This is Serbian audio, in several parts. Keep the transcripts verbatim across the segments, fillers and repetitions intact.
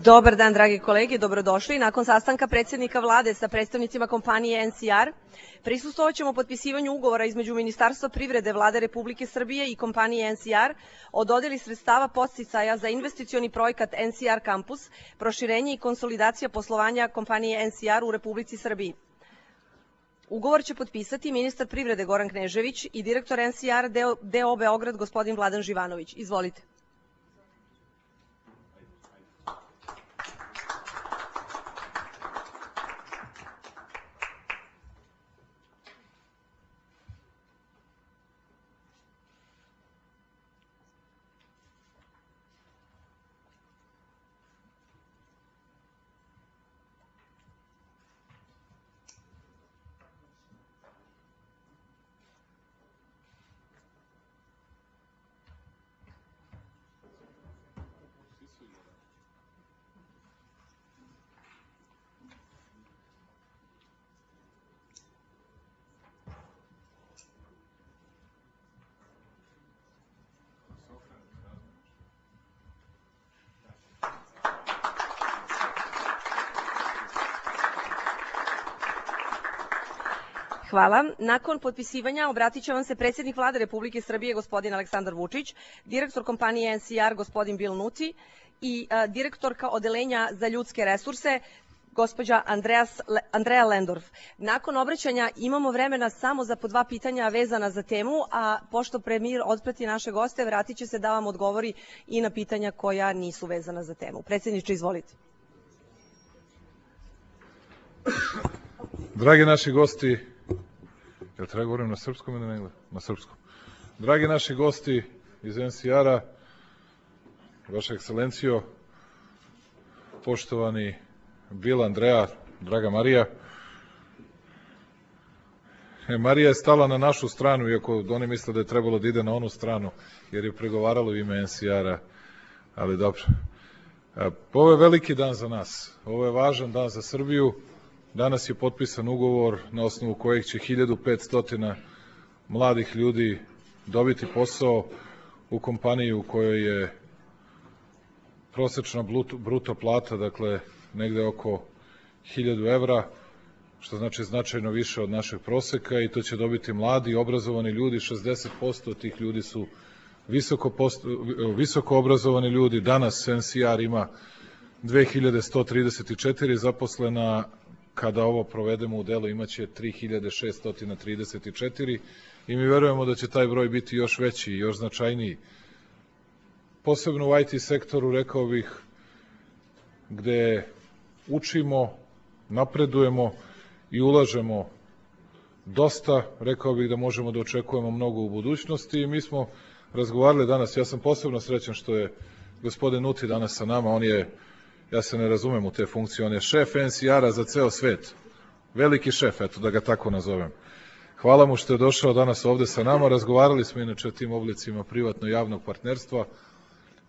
Dobar dan, dragi kolege, dobrodošli. Nakon sastanka predsjednika vlade sa predstavnicima kompanije N C R, prisustvovat ćemo potpisivanju ugovora između Ministarstva privrede Vlade Republike Srbije i kompanije N C R o dodeli sredstava podsticaja za investicioni projekat N C R Campus, proširenje i konsolidacija poslovanja kompanije N C R u Republici Srbiji. Ugovor će potpisati ministar privrede Goran Knežević i direktor N C R D O Beograd gospodin Vladan Živanović. Izvolite. Hvala. Nakon potpisivanja obratit će vam se predsjednik Vlade Republike Srbije gospodin Aleksandar Vučić, direktor kompanije N C R gospodin Bill Nuti i a, direktorka odelenja za ljudske resurse gospođa Andreas, Andrea Lendorf. Nakon obraćanja imamo vremena samo za po dva pitanja vezana za temu, a pošto premijer otprati naše goste, vratit će se da vam odgovori i na pitanja koja nisu vezana za temu. Predsjedniče, izvolite. Dragi naši gosti, jel treba govorim na srpskom ili na engleskom? Na srpskom. Dragi naši gosti iz N C R-a, Vaša ekscelencijo, poštovani Bill, Andrea, draga Marija. E, Marija je stala na našu stranu, iako oni misle da je trebalo da ide na onu stranu, jer je pregovaralo u ime N C R-a, ali dobro. E, ovo je veliki dan za nas, ovo je važan dan za Srbiju. Danas je potpisan ugovor na osnovu kojeg će hiljadu petsto mladih ljudi dobiti posao u kompaniji u kojoj je prosečna bruto plata, dakle, negde oko hiljadu evra, što znači značajno više od našeg proseka, i to će dobiti mladi, obrazovani ljudi. šezdeset posto od tih ljudi su visoko, posto, visoko obrazovani ljudi. Danas N C R ima dve hiljade sto trideset četiri zaposlena, kada ovo provedemo u delo imaće tri hiljade šesto trideset četiri i mi verujemo da će taj broj biti još veći i još značajniji. Posebno u I T sektoru, rekao bih, gde učimo, napredujemo i ulažemo dosta, rekao bih da možemo da očekujemo mnogo u budućnosti i mi smo razgovarali danas. Ja sam posebno srećan što je gospodin Nuti danas sa nama, on je, ja se ne razumem u te funkcije, on je šef N C R-a za ceo svet. Veliki šef, eto da ga tako nazovem. Hvala mu što je došao danas ovde sa nama. Razgovarali smo inače o tim oblicima privatno-javnog partnerstva,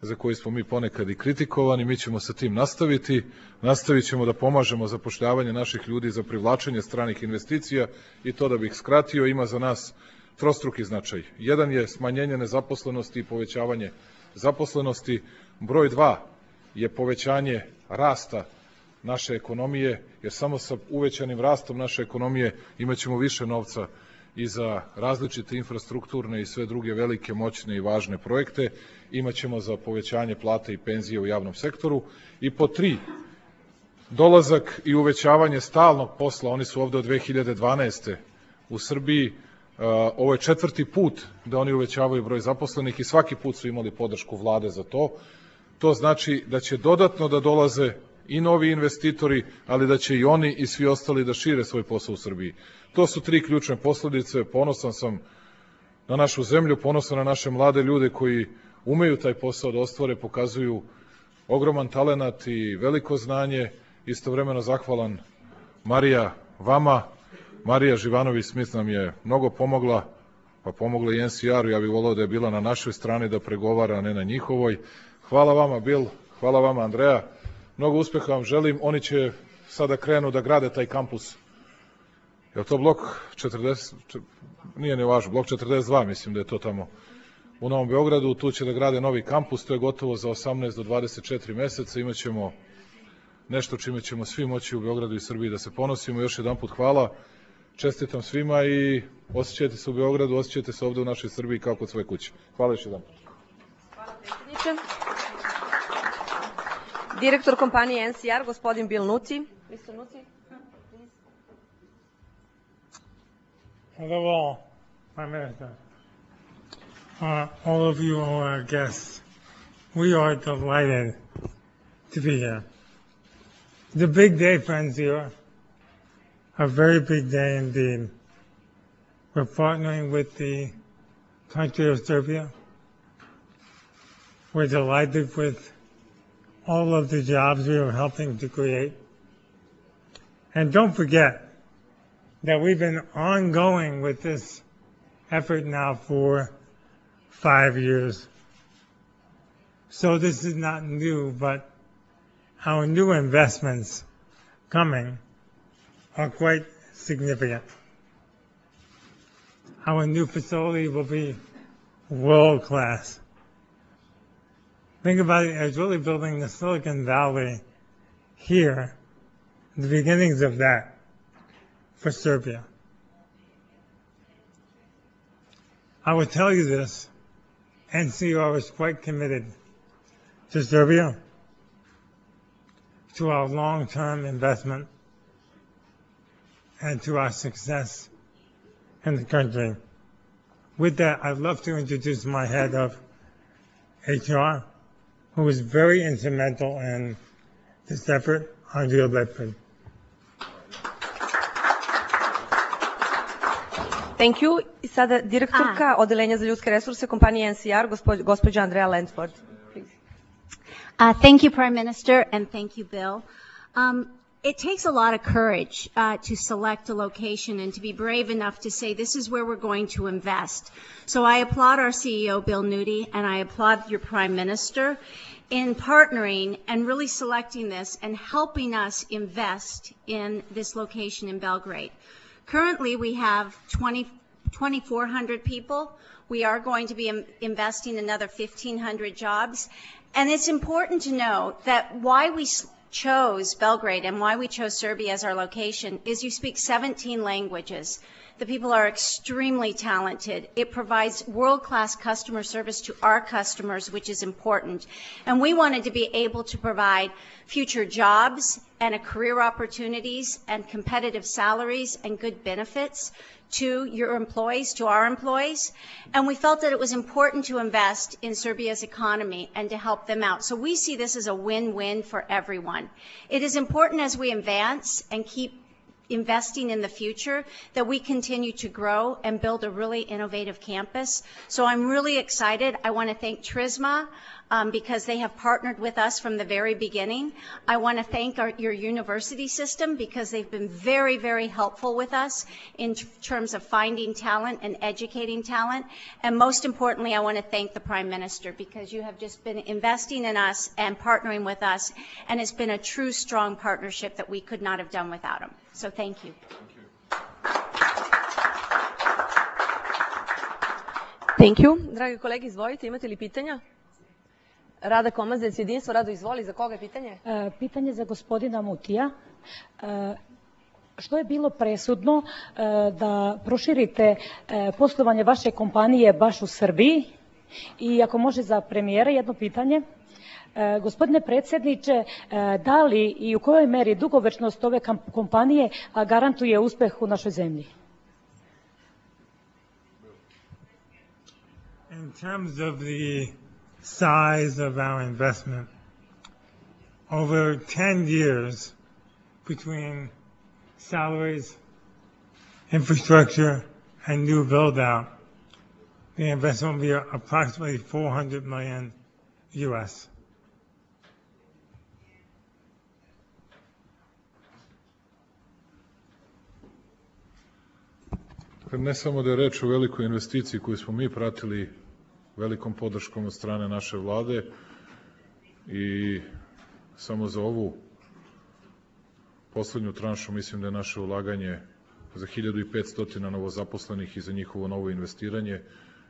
za koji smo mi ponekad i kritikovani. Mi ćemo sa tim nastaviti. Nastavit ćemo da pomažemo zapošljavanje naših ljudi za privlačenje stranih investicija i to, da bih skratio, ima za nas trostruki značaj. Jedan je smanjenje nezaposlenosti i povećavanje zaposlenosti. Broj dva je povećanje rasta naše ekonomije, jer samo sa uvećanim rastom naše ekonomije imaćemo više novca i za različite infrastrukturne i sve druge velike, moćne i važne projekte, imaćemo za povećanje plata i penzije u javnom sektoru. I po tri, dolazak i uvećavanje stalnog posla, oni su ovde od dve hiljade dvanaeste u Srbiji, ovo je četvrti put da oni uvećavaju broj zaposlenih i svaki put su imali podršku vlade za to. To znači da će dodatno da dolaze i novi investitori, ali da će i oni i svi ostali da šire svoj posao u Srbiji. To su tri ključne posledice. Ponosan sam na našu zemlju, ponosan na naše mlade ljude koji umeju taj posao da ostvare, pokazuju ogroman talenat i veliko znanje. Istovremeno zahvalan, Marija, vama. Marija Živanović-Smith nam je mnogo pomogla, pa pomogla i N C R-u. Ja bih volao da je bila na našoj strani da pregovara, a ne na njihovoj. Hvala vama, Bill, hvala vama, Andrea. Mnogo uspeha vam želim. Oni će sada krenu da grade taj kampus. Je li to blok četrdeset? Nije ne važno, blok četrdeset dva, mislim da je to tamo u Novom Beogradu. Tu će da grade novi kampus, to je gotovo za osamnaest do dvadeset četiri meseca. Imaćemo nešto čime ćemo svi moći u Beogradu i Srbiji da se ponosimo. Još jedan put hvala, čestitam svima i osjećajte se u Beogradu, osjećajte se ovde u našoj Srbiji kao kod svoje kuće. Hvala još jedan put. Hvala predsjedniče. Direktor kompanije N C R, gospodin Bill Nuti. mister Nuti. Hello all, Prime Minister. Uh, all of you, all our guests, we are delighted to be here. It's a big day, friends, here. A very big day indeed. We're partnering with the country of Serbia. We're delighted with all of the jobs we are helping to create. And don't forget that we've been ongoing with this effort now for five years. So this is not new, but our new investments coming are quite significant. Our new facility will be world class. Think about it as really building the Silicon Valley here, the beginnings of that for Serbia. I will tell you this, N C R is quite committed to Serbia, to our long-term investment, and to our success in the country. With that, I'd love to introduce my head of H R, who was very instrumental in this effort, Andrea Ledford. Thank you. I sada direktorka ah. Odelenja za ljudske resurse kompanije N C R, gospođa Andrea Landford. Uh, thank you, Prime Minister, and thank you, Bill. Um, it takes a lot of courage uh, to select a location and to be brave enough to say this is where we're going to invest. So I applaud our C E O, Bill Nudi, and I applaud your Prime Minister in partnering and really selecting this and helping us invest in this location in Belgrade. Currently, we have twenty-four hundred people. We are going to be im- investing another fifteen hundred jobs. And it's important to know that why we s- chose Belgrade and why we chose Serbia as our location is you speak seventeen languages. The people are extremely talented. It provides world-class customer service to our customers, which is important. And we wanted to be able to provide future jobs and a career opportunities and competitive salaries and good benefits to your employees, to our employees. And we felt that it was important to invest in Serbia's economy and to help them out. So we see this as a win-win for everyone. It is important as we advance and keep investing in the future that we continue to grow and build a really innovative campus. So I'm really excited. I want to thank Trisma um, because they have partnered with us from the very beginning. I want to thank our, your university system because they've been very, very helpful with us in t- terms of finding talent and educating talent. And most importantly, I want to thank the Prime Minister because you have just been investing in us and partnering with us, and it's been a true, strong partnership that we could not have done without him. So thank you. Thank you. Dragi kolege, izvolite, imate li pitanja? Rada Komazec, jedinstvo, Rado, izvoli, za koga je pitanje? E, pitanje za gospodina Mutija. E, što je bilo presudno e, da proširite e, poslovanje vaše kompanije baš u Srbiji? I ako može za premijera jedno pitanje. E, gospodine predsjedniče, e, da li i u kojoj meri dugovečnost ove kompanije garantuje uspeh u našoj zemlji? In terms of the size of our investment, over ten years between salaries, infrastructure, and new build-out, the investment will be approximately four hundred million U S. Ne samo da je reč o velikoj investiciji koju smo mi pratili velikom podrškom od strane naše vlade i samo za ovu poslednju tranšu mislim da je naše ulaganje za hiljadu petsto novozaposlenih i za njihovo novo investiranje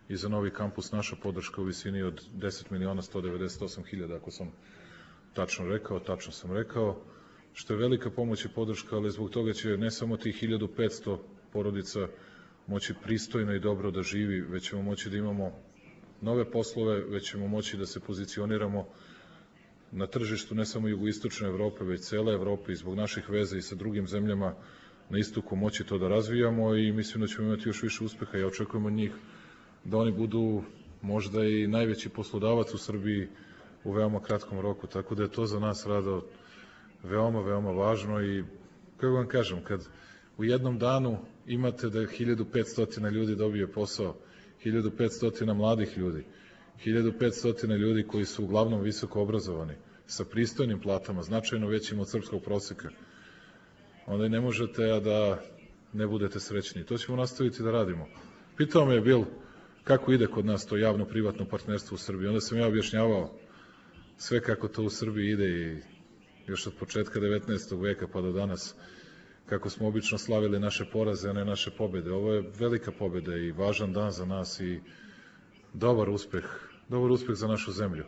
i za novi kampus naša podrška u visini od deset miliona sto devedeset osam hiljada, ako sam tačno rekao, tačno sam rekao. što je velika pomoć i podrška, ali zbog toga će ne samo tih hiljadu petsto porodica moći pristojno i dobro da živi, već ćemo moći da imamo nove poslove, već ćemo moći da se pozicioniramo na tržištu ne samo jugoistočne Evrope, već cele Evrope i zbog naših veza i sa drugim zemljama na istoku moći to da razvijamo i mislim da ćemo imati još više uspeha. Ja očekujem od njih da oni budu možda i najveći poslodavac u Srbiji u veoma kratkom roku, tako da je to za nas rado veoma, veoma važno i kako vam kažem, kad u jednom danu imate da hiljadu petsto ljudi dobije posao, hiljadu petsto mladih ljudi, hiljadu petsto ljudi koji su uglavnom visoko obrazovani, sa pristojnim platama, značajno većim od srpskog proseka, onda ne možete a da ne budete srećni. To ćemo nastaviti da radimo. Pitao me je Bil kako ide kod nas to javno-privatno partnerstvo u Srbiji. Onda sam ja objašnjavao sve kako to u Srbiji ide i još od početka devetnaestog veka pa do danas, kako smo obično slavili naše poraze, a ne naše pobede. Ovo je velika pobeda i važan dan za nas i dobar uspeh, dobar uspeh za našu zemlju.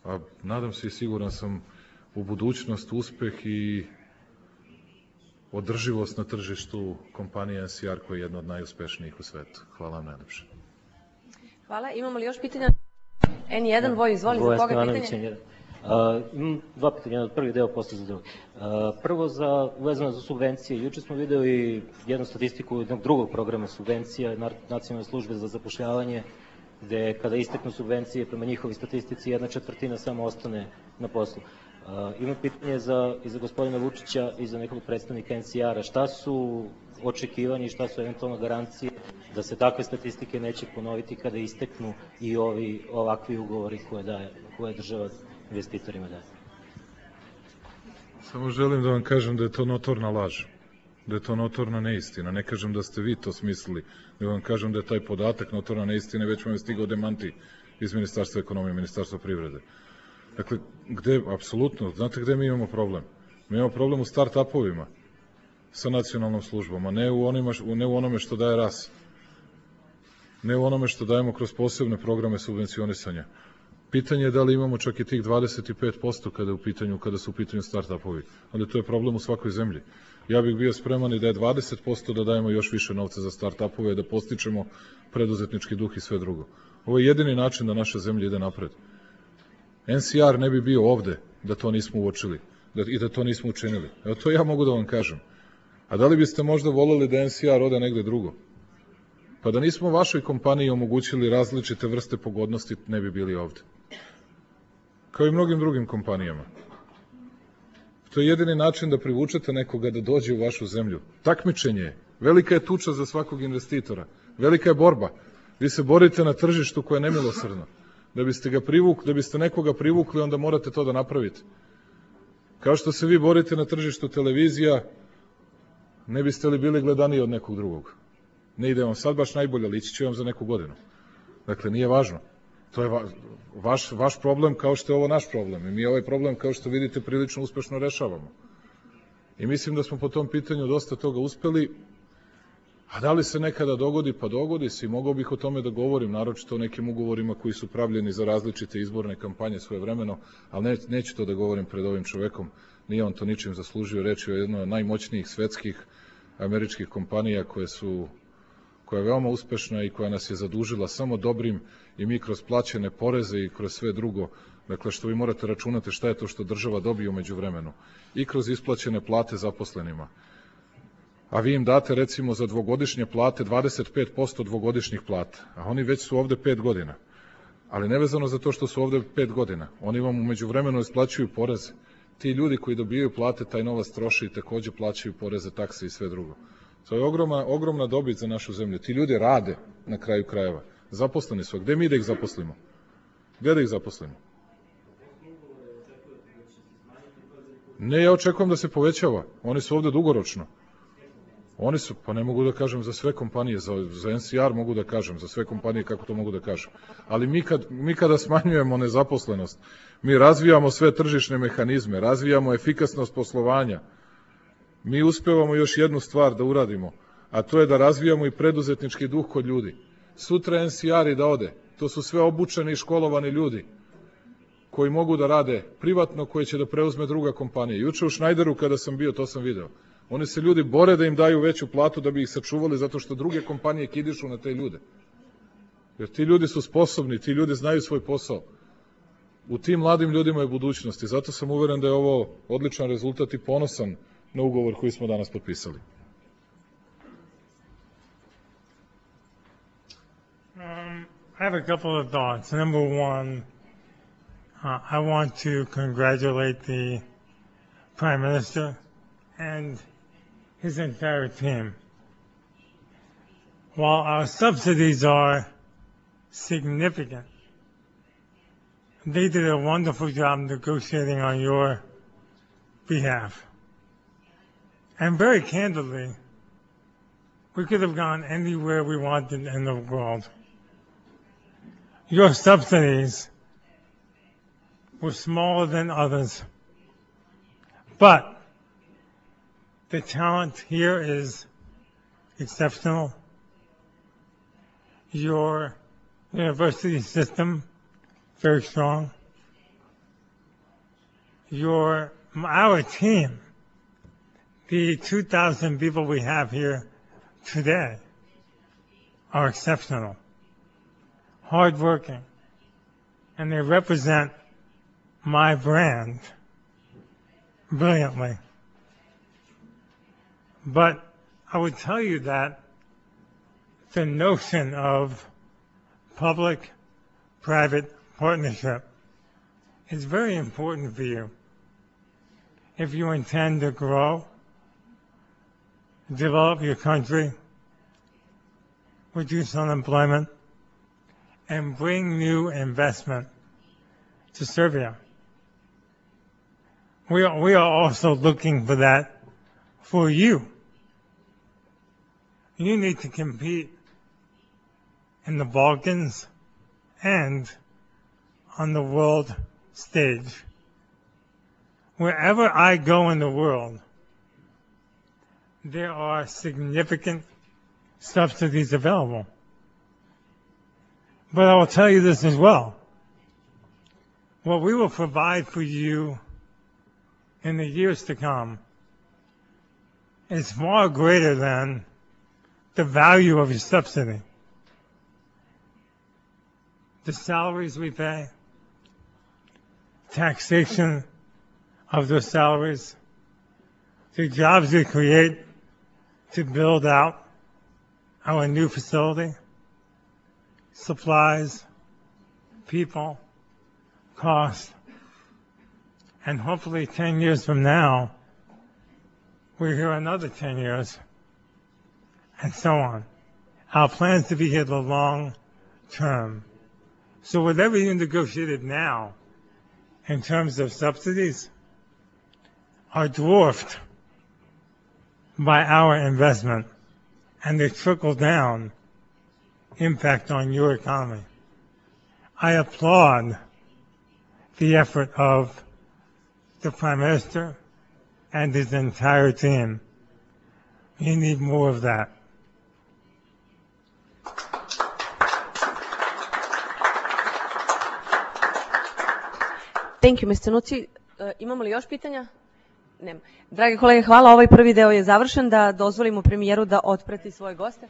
A nadam se i siguran sam u budućnost, uspeh i održivost na tržištu kompanije N C R koja je jedna od najuspešnijih u svetu. Hvala vam najlepše. Hvala. Imamo li još pitanja? N jedan, Voj, izvoli, za koga pitanje? Uh, imam dva pitanja, jedan od prvi deo, posle za drugi. Uh, prvo, za, uvezano za subvencije. Juče smo videli jednu statistiku jednog drugog programa subvencija, Nacionalne službe za zapošljavanje, gde kada isteknu subvencije, prema njihovi statistici, jedna četvrtina samo ostane na poslu. Uh, imam pitanje za, i za gospodina Vučića i za nekog predstavnika N C R-a. Šta su očekivani, šta su eventualno garancije da se takve statistike neće ponoviti kada isteknu i ovi ovakvi ugovori koje, daje, koje država investitorima daje? Samo želim da vam kažem da je to notorna laž, da je to notorna neistina. Ne kažem da ste vi to smislili, da vam kažem da je taj podatak notorna neistina, već vam je stigao demanti iz Ministarstva ekonomije, Ministarstva privrede. Dakle, gde, apsolutno, znate gde mi imamo problem? Mi imamo problem u start-upovima sa nacionalnom službom, a ne u, onima, ne u onome što daje R A S. Ne u onome što dajemo kroz posebne programe subvencionisanja. Pitanje je da li imamo čak i tih dvadeset pet posto kada, u pitanju, kada su u pitanju start-upovi. Ali to je problem u svakoj zemlji. Ja bih bio spreman i da je dvadeset posto da dajemo još više novca za start-upove, da postičemo preduzetnički duh i sve drugo. Ovo je jedini način da naša zemlja ide napred. N C R ne bi bio ovde da to nismo uočili da, i da to nismo učinili. Evo to ja mogu da vam kažem. A da li biste možda voleli da N C R ode negde drugo? Pa da nismo vašoj kompaniji omogućili različite vrste pogodnosti, ne bi bili ovde. Kao i mnogim drugim kompanijama. To je jedini način da privučete nekoga da dođe u vašu zemlju. Takmičenje je. Velika je tuča za svakog investitora. Velika je borba. Vi se borite na tržištu koje je nemilosrdno. Da biste ga privukli, da biste nekoga privukli, onda morate to da napravite. Kao što se vi borite na tržištu televizija, ne biste li bili gledaniji od nekog drugog. Ne ide vam sad baš najbolje, ali ići će vam za neku godinu. Dakle, nije važno. To je va, vaš, vaš problem kao što je ovo naš problem. I mi ovaj problem, kao što vidite, prilično uspešno rešavamo. I mislim da smo po tom pitanju dosta toga uspeli. A da li se nekada dogodi? Pa dogodi se i mogao bih o tome da govorim, naročito o nekim ugovorima koji su pravljeni za različite izborne kampanje svoje vremeno, ali ne, neću to da govorim pred ovim čovekom. Nije on to ničim zaslužio. Reč je o jednoj od najmoćnijih svetskih američkih kompanija koje su koja je veoma uspešna i koja nas je zadužila samo dobrim i mi kroz plaćene poreze i kroz sve drugo, dakle što vi morate računati šta je to što država dobije umeđu vremenu i kroz isplaćene plate zaposlenima. A vi im date recimo za dvogodišnje plate dvadeset pet posto dvogodišnjih plata, a oni već su ovde pet godina. Ali nevezano za to što su ovde pet godina, oni vam umeđu vremenu isplaćuju poreze. Ti ljudi koji dobijaju plate, taj novac troše i takođe plaćaju poreze, takse i sve drugo. To je ogromna, ogromna dobit za našu zemlju. Ti ljudi rade na kraju krajeva. Zaposleni su. Gde mi da ih zaposlimo? Gde da ih zaposlimo? Ne, ja očekujem da se povećava. Oni su ovde dugoročno. Oni su, pa ne mogu da kažem za sve kompanije, za, za N C R mogu da kažem, za sve kompanije kako to mogu da kažem. Ali mi, kad, mi kada smanjujemo nezaposlenost, mi razvijamo sve tržišne mehanizme, razvijamo efikasnost poslovanja, mi uspevamo još jednu stvar da uradimo, a to je da razvijamo i preduzetnički duh kod ljudi. Sutra N C R i da ode, to su sve obučeni i školovani ljudi. koji mogu da rade privatno, koje će da preuzme druga kompanija. Juče u Schneideru kada sam bio, to sam video. Oni se ljudi bore da im daju veću platu da bi ih sačuvali zato što druge kompanije kidišu na te ljude. Jer ti ljudi su sposobni, ti ljudi znaju svoj posao. U tim mladim ljudima je budućnost i zato sam uveren da je ovo odličan rezultat i ponosan na ugovor koji smo danas potpisali. Um, I have a couple of thoughts. Number one, uh, I want to congratulate the Prime Minister and his entire team. While our subsidies are significant, they did a wonderful job negotiating on your behalf. And very candidly, we could have gone anywhere we wanted in the world. Your subsidies were smaller than others, but the talent here is exceptional. Your university system, very strong. Your, our team, the two thousand people we have here today are exceptional, hardworking, and they represent my brand brilliantly. But I would tell you that the notion of public-private partnership is very important for you if you intend to grow, develop your country, reduce unemployment, and bring new investment to Serbia. We are, we are also looking for that for you. You need to compete in the Balkans and on the world stage. Wherever I go in the world, there are significant subsidies available. But I will tell you this as well. What we will provide for you in the years to come is far greater than the value of your subsidy. The salaries we pay, taxation of those salaries, the jobs we create to build out our new facility, supplies, people, cost, and hopefully ten years from now, we're here another ten years, and so on. Our plan is to be here the long term. So whatever you negotiated now in terms of subsidies are dwarfed by our investment and the trickle-down impact on your economy. I applaud the effort of the Prime Minister and his entire team. You need more of that. Thank you, mister Nuci. Uh, imamo li još pitanja? Nema. Dragi kolege, hvala. Ovaj prvi deo je završen. Da dozvolimo premijeru da otprati svoje goste.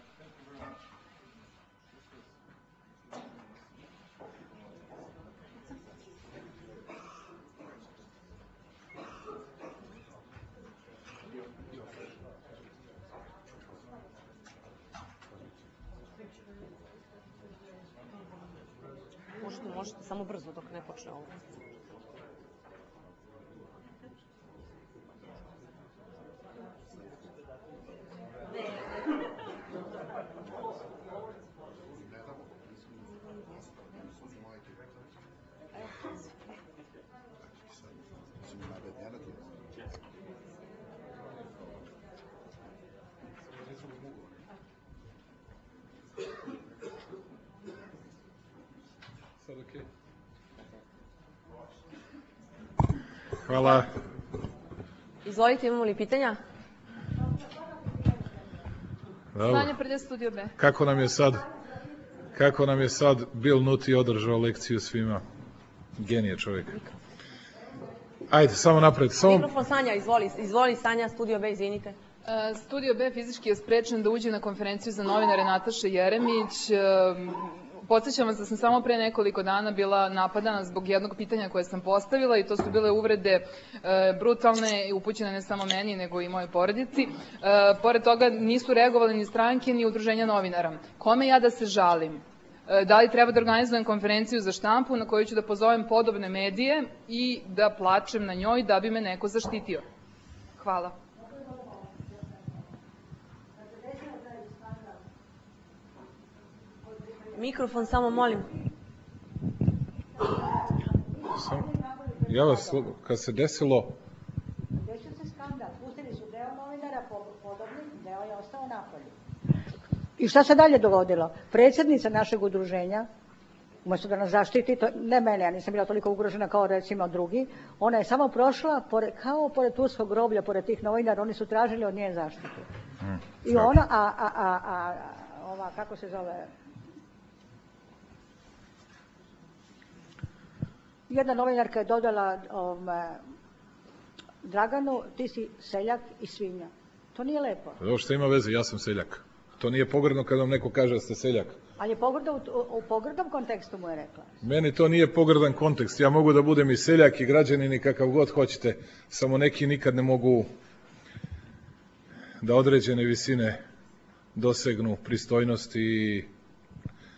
Možete, možete, samo brzo dok ne počne ovo. Hvala. Izvolite, imamo li pitanja? Znanje prede studio B. Kako nam je sad, kako nam je sad Bill Nuti održao lekciju svima? Genije čovjek. Ajde, samo napred. Samo... Mikrofon Sanja, izvoli, izvoli Sanja, Studio B, izvinite. Studio B fizički je sprečen da uđe na konferenciju za novinare Nataše Jeremić. Podsjećam vas da sam samo pre nekoliko dana bila napadana zbog jednog pitanja koje sam postavila i to su bile uvrede brutalne i upućene ne samo meni nego i mojoj porodici. Pored toga nisu reagovali ni stranke ni udruženja novinara. Kome ja da se žalim? Da li treba da organizujem konferenciju za štampu na kojoj ću da pozovem podobne medije i da plačem na njoj da bi me neko zaštitio? Hvala. Mikrofon, samo molim. Ja vas, kad se desilo... Desio se skandal, pustili su deo novinara podobnih, deo je ostao napolju. I šta se dalje dogodilo? Predsjednica našeg udruženja, umjesto da nas zaštiti, to, ne mene, ja nisam bila toliko ugrožena kao recimo drugi, ona je samo prošla pored, kao pored turskog groblja, pored tih novinara, oni su tražili od nje zaštitu. Hmm, I ona, a, a, a, a ova, kako se zove... Jedna novinarka je dodala um, Draganu, ti si seljak i svinja. To nije lepo. Ovo što ima veze, ja sam seljak. To nije pogrdno kad vam neko kaže da ste seljak. Ali je pogrdno, u, u pogrdnom kontekstu mu je rekla. Meni to nije pogrdan kontekst. Ja mogu da budem i seljak i građanin i kakav god hoćete. Samo neki nikad ne mogu da određene visine dosegnu pristojnosti i...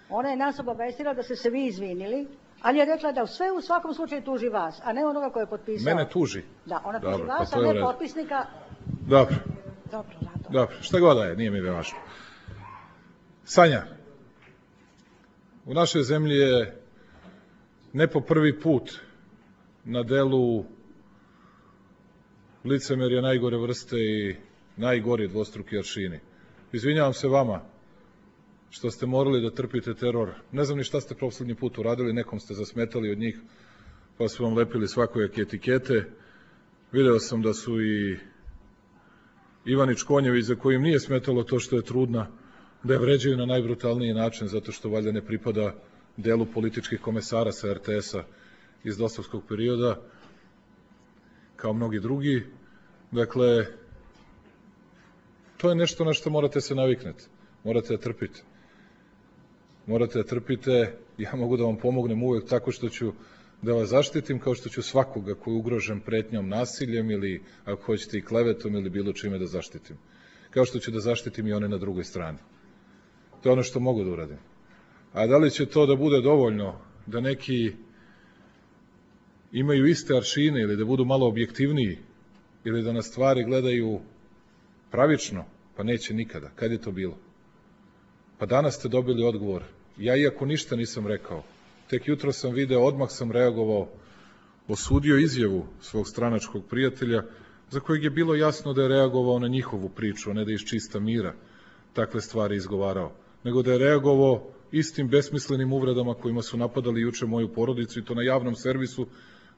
Ona je nas obavestila da ste se vi izvinili, ali je rekla da sve u svakom slučaju tuži vas, a ne onoga koje je potpisao. Mene tuži. Da, ona tuži Dobro, vas, pa a ne potpisnika. Dobro. Dobro, zato. Dobro, šta god da je, nije mi da važno. Sanja, u našoj zemlji je ne po prvi put na delu licemerja najgore vrste i najgori dvostruki aršini. Izvinjavam se vama što ste morali da trpite teror. Ne znam ni šta ste poslednji put uradili, nekom ste zasmetali od njih, pa su vam lepili svakojake etikete. Video sam da su i Ivanić Konjević, za kojim nije smetalo to što je trudna, da je vređaju na najbrutalniji način, zato što valjda ne pripada delu političkih komesara sa er te es-a iz dosovskog perioda, kao mnogi drugi. Dakle, to je nešto na što morate se naviknete. Morate da trpite. Morate da trpite. Ja mogu da vam pomognem uvek tako što ću da vas zaštitim, kao što ću svakoga koji je ugrožen pretnjom nasiljem ili, ako hoćete, i klevetom ili bilo čime da zaštitim. Kao što ću da zaštitim i one na drugoj strani. To je ono što mogu da uradim. A da li će to da bude dovoljno da neki imaju iste aršine ili da budu malo objektivniji ili da na stvari gledaju pravično, pa neće nikada. Kad je to bilo? Pa danas ste dobili odgovor. Ja, iako ništa nisam rekao, tek jutro sam video, odmah sam reagovao, osudio izjavu svog stranačkog prijatelja, za kojeg je bilo jasno da je reagovao na njihovu priču, a ne da iz čista mira takve stvari izgovarao, nego da je reagovao istim besmislenim uvredama kojima su napadali juče moju porodicu, i to na javnom servisu,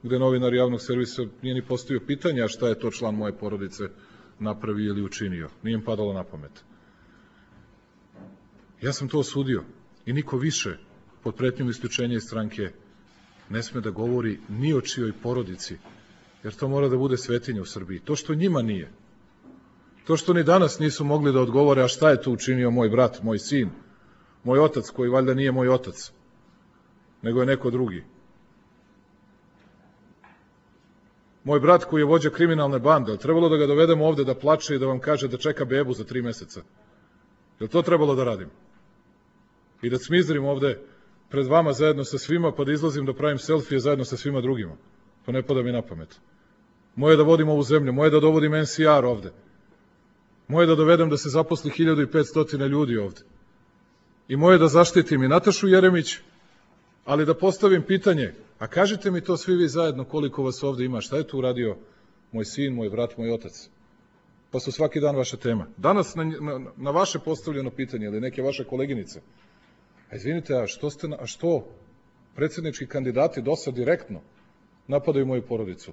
gde novinar javnog servisa nije ni postavio pitanja šta je to član moje porodice napravio ili učinio. Nije im padalo na pamet. Ja sam to osudio i niko više pod pretnjom isključenja iz stranke ne sme da govori ni o čijoj porodici, jer to mora da bude svetinja u Srbiji. To što njima nije, to što ni danas nisu mogli da odgovore, a šta je to učinio moj brat, moj sin, moj otac, koji valjda nije moj otac, nego je neko drugi. Moj brat koji je vođa kriminalne bande, trebalo da ga dovedemo ovde da plače i da vam kaže da čeka bebu za tri meseca? Je li to trebalo da radim? I da cmizdrim ovde pred vama zajedno sa svima, pa da izlazim da pravim selfije zajedno sa svima drugima? To ne pada mi na pamet. Moje je da vodim ovu zemlju, moje je da dovodim en si ar ovde. Moje je da dovedem da se zaposli hiljadu i petsto ljudi ovde. I moje je da zaštitim i Natašu Jeremić, ali da postavim pitanje, a kažite mi to svi vi zajedno koliko vas ovde ima, šta je tu uradio moj sin, moj brat, moj otac? Pa su svaki dan vaša tema. Danas na, na, na vaše postavljeno pitanje ili neke vaše koleginice, a izvinite, a što, ste, a što predsjednički kandidati dosta direktno napadaju moju porodicu?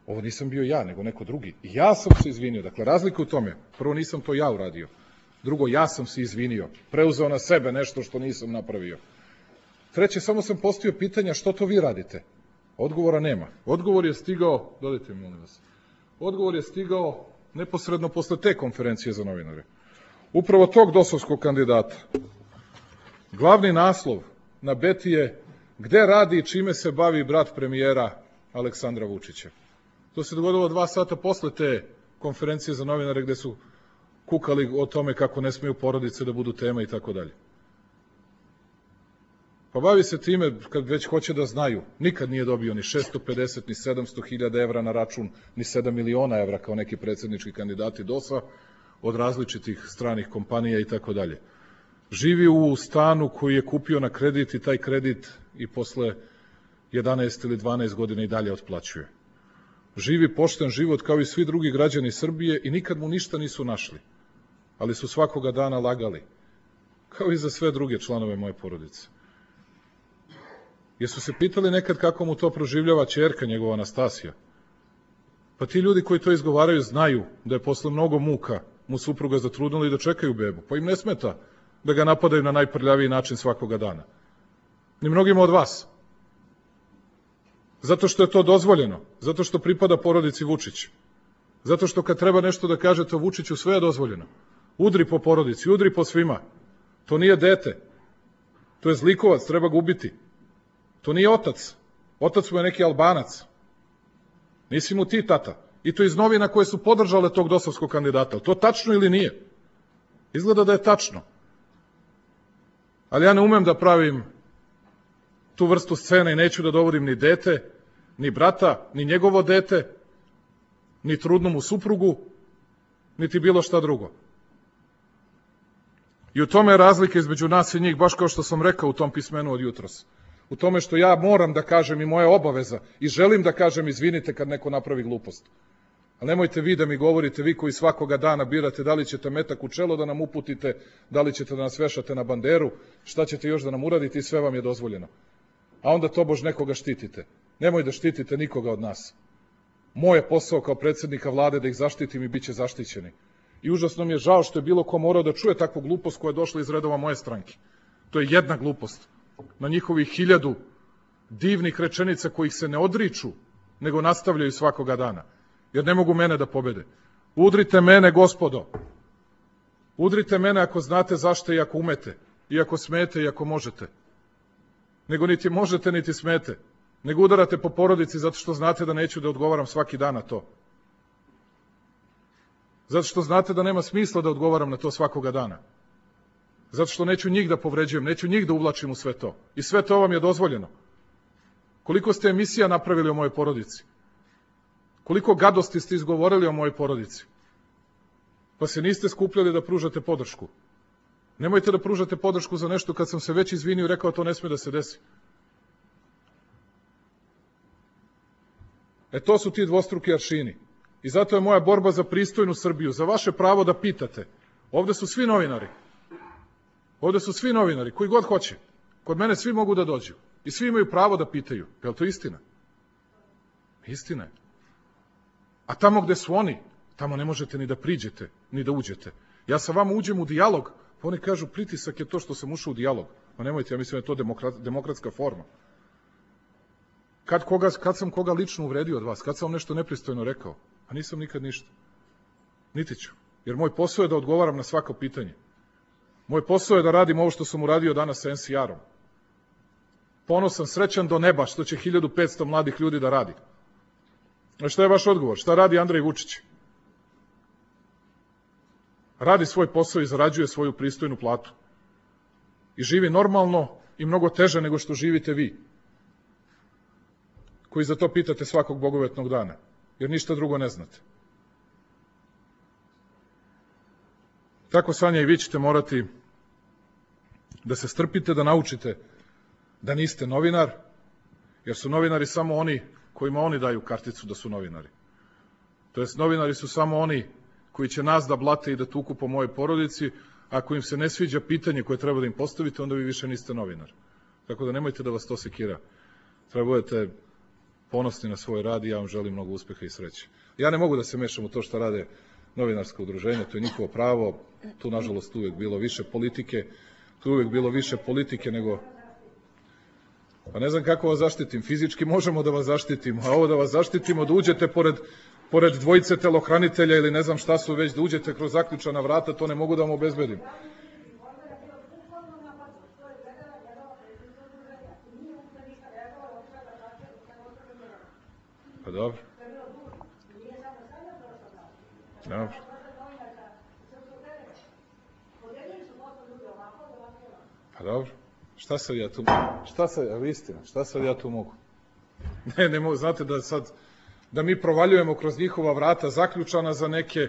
Ovo nisam bio ja, nego neko drugi. I ja sam se izvinio. Dakle, razlika u tome. Prvo, nisam to ja uradio. Drugo, ja sam se izvinio. Preuzeo na sebe nešto što nisam napravio. Treće, samo sam postavio pitanja što to vi radite. Odgovora nema. Odgovor je stigao, dodajte mi molim vas, odgovor je stigao neposredno posle te konferencije za novinare. Upravo tog dosovskog kandidata. Glavni naslov na Beti je gde radi i čime se bavi brat premijera Aleksandra Vučića. To se dogodilo dva sata posle te konferencije za novinare gde su kukali o tome kako ne smiju porodice da budu tema i tako dalje. Pa bavi se time kad već hoće da znaju. Nikad nije dobio ni šesto pedeset ni sedamsto hiljada evra na račun, ni sedam miliona evra kao neki predsjednički kandidati DOS-a od različitih stranih kompanija i tako dalje. Živi u stanu koji je kupio na kredit i taj kredit i posle jedanaest ili dvanaest godina i dalje otplaćuje. Živi pošten život kao i svi drugi građani Srbije i nikad mu ništa nisu našli, ali su svakoga dana lagali, kao i za sve druge članove moje porodice. Jesu se pitali nekad kako mu to proživljava ćerka njegova Anastasija? Pa ti ljudi koji to izgovaraju znaju da je posle mnogo muka mu supruga zatrudnila i da čekaju bebu, pa im ne smeta da ga napadaju na najprljaviji način svakoga dana. Ni mnogima od vas. Zato što je to dozvoljeno, zato što pripada porodici Vučić. Zato što kad treba nešto da kažete o Vučiću, sve je dozvoljeno. Udri po porodici, udri po svima. To nije dete. To je zlikovac, treba ga ubiti. To nije otac. Otac mu je neki Albanac. Nisi mu ti tata. I to iz novina koje su podržale tog dosovskog kandidata. To tačno ili nije? Izgleda da je tačno. Ali ja ne umem da pravim tu vrstu scene i neću da dovodim ni dete, ni brata, ni njegovo dete, ni trudnu mu suprugu, niti bilo šta drugo. I u tome je razlika između nas i njih, baš kao što sam rekao u tom pismenu od jutros. U tome što ja moram da kažem i moja obaveza i želim da kažem izvinite kad neko napravi glupost. Ali nemojte vi da mi govorite, vi koji svakoga dana birate da li ćete metak u čelo da nam uputite, da li ćete da nas vešate na banderu, šta ćete još da nam uradite i sve vam je dozvoljeno. A onda tobož nekoga štitite. Nemoj da štitite nikoga od nas. Moj je posao kao predsjednika vlade da ih zaštitim i bit će zaštićeni. I užasno mi je žao što je bilo ko morao da čuje takvu glupost koja je došla iz redova moje stranke. To je jedna glupost. Na njihovih hiljadu divnih rečenica kojih se ne odriču, nego nastavljaju svakoga dana. Jer ne mogu mene da pobede. Udrite mene, gospodo. Udrite mene ako znate zašto i ako umete. I ako smete i ako možete. Nego niti možete, niti smete. Nego udarate po porodici zato što znate da neću da odgovaram svaki dan na to. Zato što znate da nema smisla da odgovaram na to svakoga dana. Zato što neću njih da povređujem, neću njih da uvlačim u sve to. I sve to vam je dozvoljeno. Koliko ste emisija napravili o mojoj porodici? Koliko gadosti ste izgovorili o mojoj porodici? Pa se niste skupljali da pružate podršku. Nemojte da pružate podršku za nešto kad sam se već izvinio i rekao to ne sme da se desi. E to su ti dvostruki aršini. I zato je moja borba za pristojnu Srbiju, za vaše pravo da pitate. Ovde su svi novinari. Ovde su svi novinari, koji god hoće. Kod mene svi mogu da dođu. I svi imaju pravo da pitaju. Je li to istina? Istina je. A tamo gde su oni, tamo ne možete ni da priđete, ni da uđete. Ja sa vama uđem u dijalog, pa oni kažu pritisak je to što sam ušao u dijalog. Pa nemojte, ja mislim da je to demokrat, demokratska forma. Kad, koga, kad sam koga lično uvredio od vas? Kad sam vam nešto nepristojno rekao? A nisam nikad ništa. Niti ću. Jer moj posao je da odgovaram na svako pitanje. Moj posao je da radim ovo što sam uradio danas sa en si ar-om. Ponosan, srećan do neba što će hiljadu petsto mladih ljudi da radi. A šta je vaš odgovor? Šta radi Andrej Vučić? Radi svoj posao i zarađuje svoju pristojnu platu. I živi normalno i mnogo teže nego što živite vi. Koji za to pitate svakog bogovetnog dana. Jer ništa drugo ne znate. Tako, Sanja, i vi ćete morati da se strpite, da naučite da niste novinar, jer su novinari samo oni kojima oni daju karticu da su novinari. To jest, novinari su samo oni koji će nas da blate i da tuku po mojoj porodici, a ako im se ne sviđa pitanje koje treba da im postavite, onda vi više niste novinar. Tako da nemojte da vas to sekira. Treba budete ponosni na svoj rad i ja vam želim mnogo uspeha i sreće. Ja ne mogu da se mešam u to što rade novinarska udruženja, to je njihovo pravo, tu nažalost uvek bilo više politike, tu uvek bilo više politike nego... Pa ne znam kako vas zaštitim. Fizički možemo da vas zaštitimo, a ovo da vas zaštitimo, da uđete pored, pored dvojice telohranitelja ili ne znam šta su već, da uđete kroz zaključana vrata, to ne mogu da vam obezbedim. Pa dobro. Dobro. Pa dobro. Šta sad ja tu, šta sad, evo istina, šta sad ja tu mogu? Ne, ne mogu, znate da sad, da mi provaljujemo kroz njihova vrata zaključana za neke,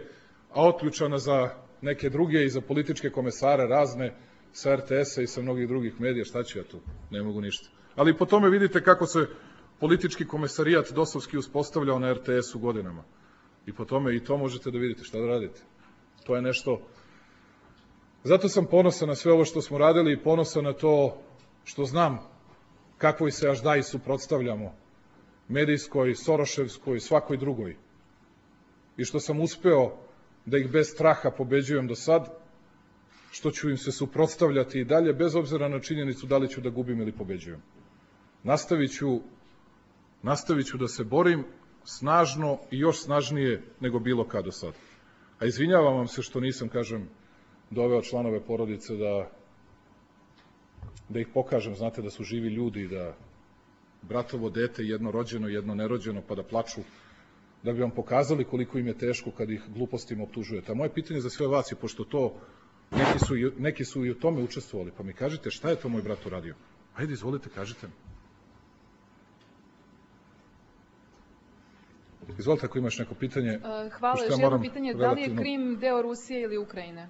a otključana za neke druge i za političke komesare razne, sa er te esa i sa mnogih drugih medija, šta ću ja tu? Ne mogu ništa. Ali po tome vidite kako se politički komesarijat dosovski uspostavljao na er te esu godinama. I po tome i to možete da vidite, šta da radite. To je nešto... Zato sam ponosan na sve ovo što smo radili i ponosan na to što znam kakvoj se aždaji suprotstavljamo, medijskoj, soroševskoj, svakoj drugoj. I što sam uspeo da ih bez straha pobeđujem do sad, što ću im se suprotstavljati i dalje, bez obzira na činjenicu da li ću da gubim ili pobeđujem. Nastavit ću, nastavit ću da se borim snažno i još snažnije nego bilo kad do sad. A izvinjavam vam se što nisam, kažem, doveo članove porodice da, da ih pokažem, znate da su živi ljudi, da bratovo dete, jedno rođeno, jedno nerođeno, pa da plaču, da bi vam pokazali koliko im je teško kad ih glupostima optužujete. A moje pitanje za sve vas je, pošto to, neki su, neki su i u tome učestvovali, pa mi kažite šta je to moj brat uradio? Ajde, izvolite, kažite mi. Izvolite ako imaš neko pitanje. Hvala, još jedno pitanje, da li je Krim deo Rusije ili Ukrajine?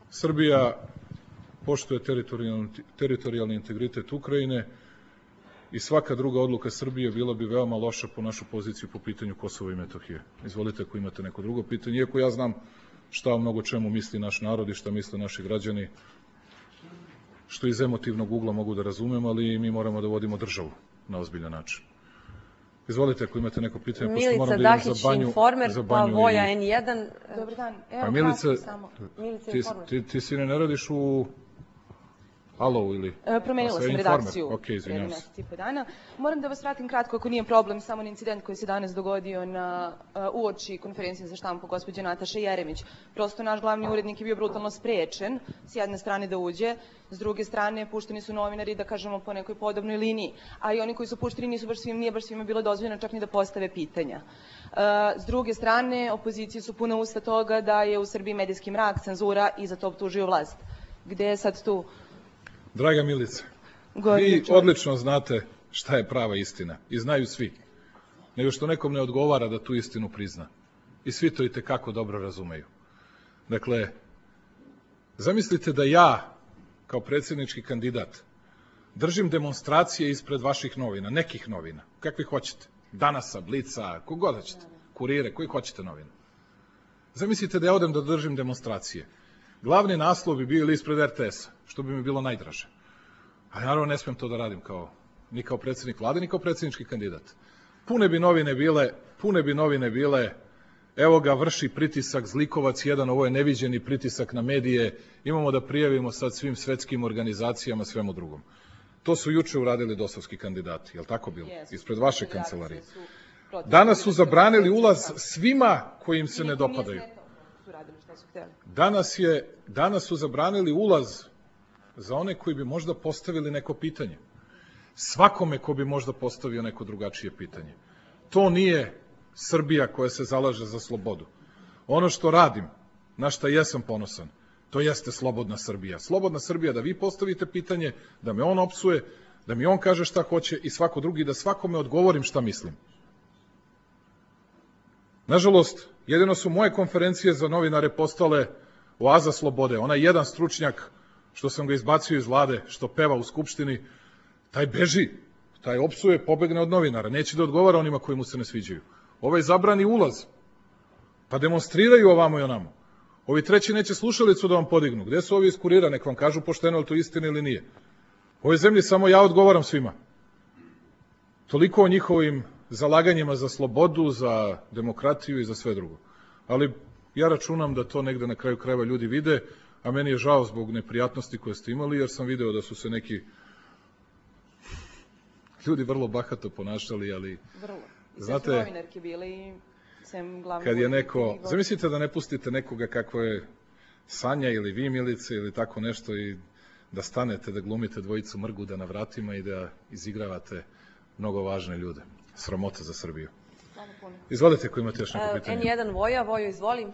Srbija poštuje teritorijalni, teritorijalni integritet Ukrajine i svaka druga odluka Srbije bila bi veoma loša po našu poziciju po pitanju Kosova i Metohije. Izvolite ako imate neko drugo pitanje, iako ja znam šta o mnogo čemu misli naš narod i šta misle naši građani, što iz emotivnog ugla mogu da razumem, ali mi moramo da vodimo državu na ozbiljan način. Izvolite ako imate neko pitanje. Milica Dahić, Informer, pa Voja en jedan. Dobar dan. Evo, Milica, ti, ti, ti si ne radiš u Alo ili? Promenila sam redakciju pre mesec i po dana. Moram da vas vratim kratko, ako nije problem, samo na incident koji se danas dogodio na uoči konferencije za štampu gospođe Nataše Jeremić. Prosto naš glavni urednik je bio brutalno sprečen, s jedne strane da uđe, s druge strane pušteni su novinari, da kažemo, po nekoj podobnoj liniji. A i oni koji su pušteni nisu baš svim, nije baš svima bilo dozvoljeno čak ni da postave pitanja. S druge strane, opozicije su puna usta toga da je u Srbiji medijski mrak, cenzura i za to optužuju vlast. Gde je sad tu? Draga Milice, vi odlično znate šta je prava istina i znaju svi, nego što nekom ne odgovara da tu istinu prizna. I svi to i tekako dobro razumeju. Dakle, zamislite da ja, kao predsjednički kandidat, držim demonstracije ispred vaših novina, nekih novina, kakvi hoćete, Danasa, Blica, kogod hoćete, Kurire, koji hoćete novina. Zamislite da ja odem da držim demonstracije. Glavni naslov bi bio ili ispred er te esa, što bi mi bilo najdraže. Ali naravno ne smijem to da radim kao, ni kao predsjednik vlade, ni kao predsjednički kandidat. Pune bi novine bile, pune bi novine bile, evo ga vrši pritisak, zlikovac jedan, ovo je neviđeni pritisak na medije, imamo da prijavimo sad svim svetskim organizacijama, svemu drugom. To su juče uradili dosovski kandidati, je li tako bilo? Ispred vaše kancelarije. Danas su zabranili ulaz svima koji im se ne dopadaju. Danas, je, danas su zabranili ulaz za one koji bi možda postavili neko pitanje. Svakome ko bi možda postavio neko drugačije pitanje. To nije Srbija koja se zalaže za slobodu. Ono što radim, na šta jesam ponosan, to jeste slobodna Srbija. Slobodna Srbija da vi postavite pitanje, da me on opsuje, da mi on kaže šta hoće i svako drugi, da svakome odgovorim šta mislim. Nažalost, jedino su moje konferencije za novinare postale oaza slobode. Onaj jedan stručnjak, što sam ga izbacio iz vlade, što peva u Skupštini, taj beži, taj opsuje, pobegne od novinara, neće da odgovara onima koji mu se ne sviđaju. Ovaj zabrani ulaz, pa demonstriraju ovamo i onamo. Ovi treći neće slušalicu da vam podignu. Gde su ovi iz Kurira, nek vam kažu pošteno, ali to istina ili nije. U ovoj zemlji samo ja odgovaram svima. Toliko o njihovim zalaganjima za slobodu, za demokratiju i za sve drugo. Ali ja računam da to negde na kraju krajeva ljudi vide, a meni je žao zbog neprijatnosti koje ste imali, jer sam video da su se neki ljudi vrlo bahato ponašali, ali... Vrlo. I znate, sve su novinarke bile i sem glavnog... Kad je neko... Zamislite da ne pustite nekoga kako je Sanja ili vi, Milice, ili tako nešto i da stanete, da glumite dvojicu Mrguda na vratima i da izigravate mnogo važne ljude. Sramota za Srbiju. Izvolite ako imate još neko pitanje. en jedan Voja, Vojo, izvolim.